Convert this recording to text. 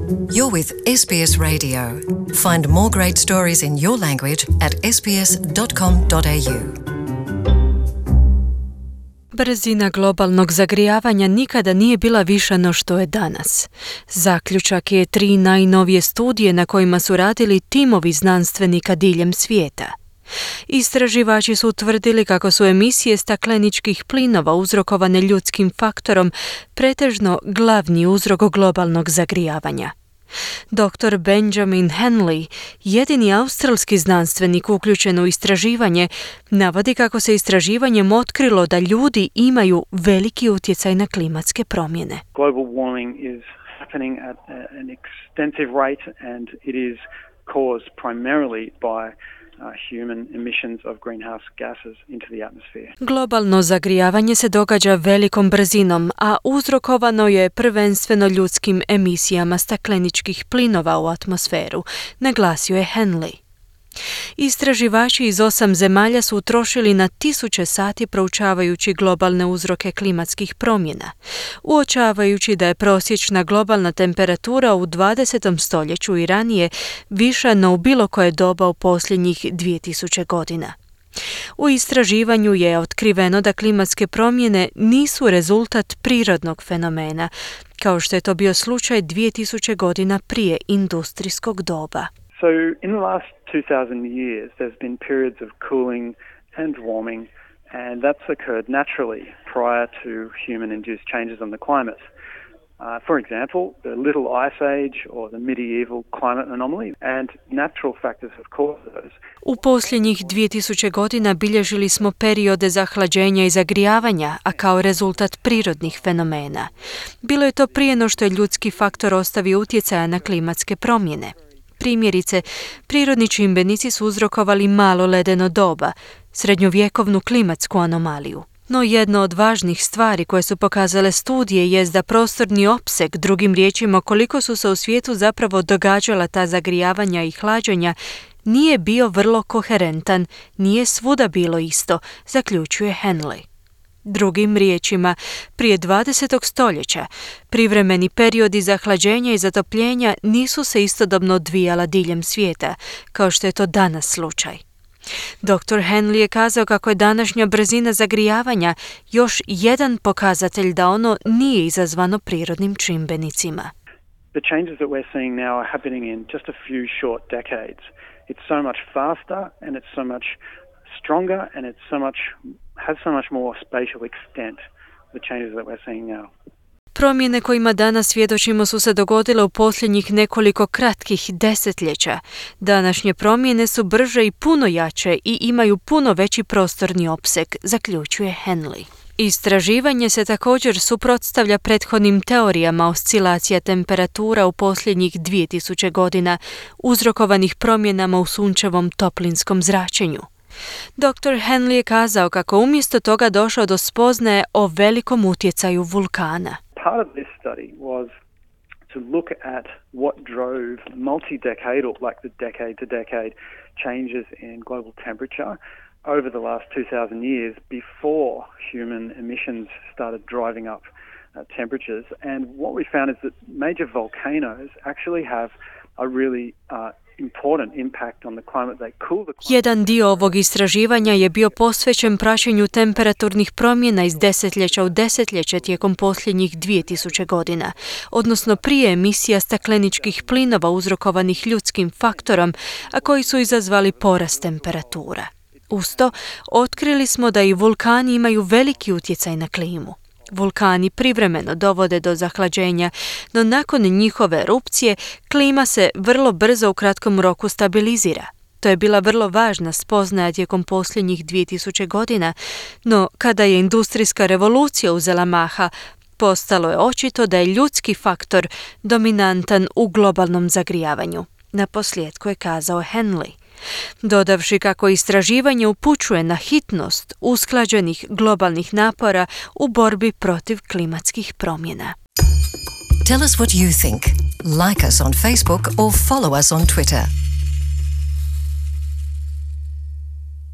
You're with SBS Radio. Find more great stories in your language at sbs.com.au. Brzina globalnog zagrijavanja nikada nije bila viša no što je danas. Zaključak je 3 najnovije studije na kojima su radili timovi znanstvenika diljem svijeta. Istraživači su utvrdili kako su emisije stakleničkih plinova uzrokovane ljudskim faktorom pretežno glavni uzrok globalnog zagrijavanja. Dr. Benjamin Henley, jedini australski znanstvenik uključen u istraživanje, navodi kako se istraživanjem otkrilo da ljudi imaju veliki utjecaj na klimatske promjene. Global warming is happening at an extensive rate and it is caused primarily by human emissions of greenhouse gases into the atmosphere. Globalno zagrijavanje se događa velikom brzinom, a uzrokovano je prvenstveno ljudskim emisijama stakleničkih plinova u atmosferu, naglasio je Henley. Istraživači iz 8 zemalja su utrošili na 1000 sati proučavajući globalne uzroke klimatskih promjena, uočavajući da je prosječna globalna temperatura u 20. stoljeću i ranije viša no u bilo koje doba u posljednjih 2000 godina. U istraživanju je otkriveno da klimatske promjene nisu rezultat prirodnog fenomena, kao što je to bio slučaj 2000 godina prije industrijskog doba. So in the last 2000 years there's been periods of cooling and warming and that's occurred naturally prior to human-induced changes on the climate. For example, the Little Ice Age or the medieval climate anomaly and natural factors have caused those. U posljednjih 2000 godina bilježili smo periode zahlađenja i zagrijavanja, a kao rezultat prirodnih fenomena. Bilo je to prije no što je ljudski faktor ostavio utjecaja na klimatske promjene. Primjerice, prirodni čimbenici su uzrokovali malo ledeno doba, srednjovjekovnu klimatsku anomaliju. No jedno od važnih stvari koje su pokazale studije jest da prostorni opseg, drugim riječima koliko su se u svijetu zapravo događala ta zagrijavanja i hlađenja, nije bio vrlo koherentan, nije svuda bilo isto, zaključuje Henley. Drugim riječima, prije 20. stoljeća privremeni periodi zahlađenja i zatopljenja nisu se istodobno odvijala diljem svijeta, kao što je to danas slučaj. Dr. Henley je kazao kako je današnja brzina zagrijavanja još jedan pokazatelj da ono nije izazvano prirodnim čimbenicima. The changes that we're seeing now are happening in just a few short decades. It's so much faster and it's so much stronger and has so much more spatial extent, the changes that we're seeing now. Promjene kojima danas svjedočimo su se dogodile u posljednjih nekoliko kratkih desetljeća. Današnje promjene su brže i puno jače i imaju puno veći prostorni opseg, zaključuje Henley. Istraživanje se također suprotstavlja prethodnim teorijama oscilacija temperatura u posljednjih 2000 godina, uzrokovanih promjenama u sunčevom toplinskom zračenju. Dr. Henley je kazao kako umjesto toga došao do spoznaje o velikom utjecaju vulkana. Part of this study was to look at what drove multi-decadal, like the decade-to-decade changes in global temperature over the last 2000 years before human emissions started driving up temperatures. And what we found is that major volcanoes actually have a really important impact on the climate. They cool the climate. Jedan dio ovog istraživanja je bio posvećen praćenju temperaturnih promjena iz desetljeća u desetljeće tijekom posljednjih 2000 godina, odnosno prije emisija stakleničkih plinova uzrokovanih ljudskim faktorom, a koji su izazvali porast temperatura. Uz to, otkrili smo da i vulkani imaju veliki utjecaj na klimu. Vulkani privremeno dovode do zahlađenja, no nakon njihove erupcije klima se vrlo brzo u kratkom roku stabilizira. To je bila vrlo važna spoznaja tijekom posljednjih 2000 godina, no kada je industrijska revolucija uzela maha, postalo je očito da je ljudski faktor dominantan u globalnom zagrijavanju. Naposljetku je kazao Henley, dodavši kako istraživanje upućuje na hitnost usklađenih globalnih napora u borbi protiv klimatskih promjena. Tell us what you think. Like us on Facebook or follow us on Twitter.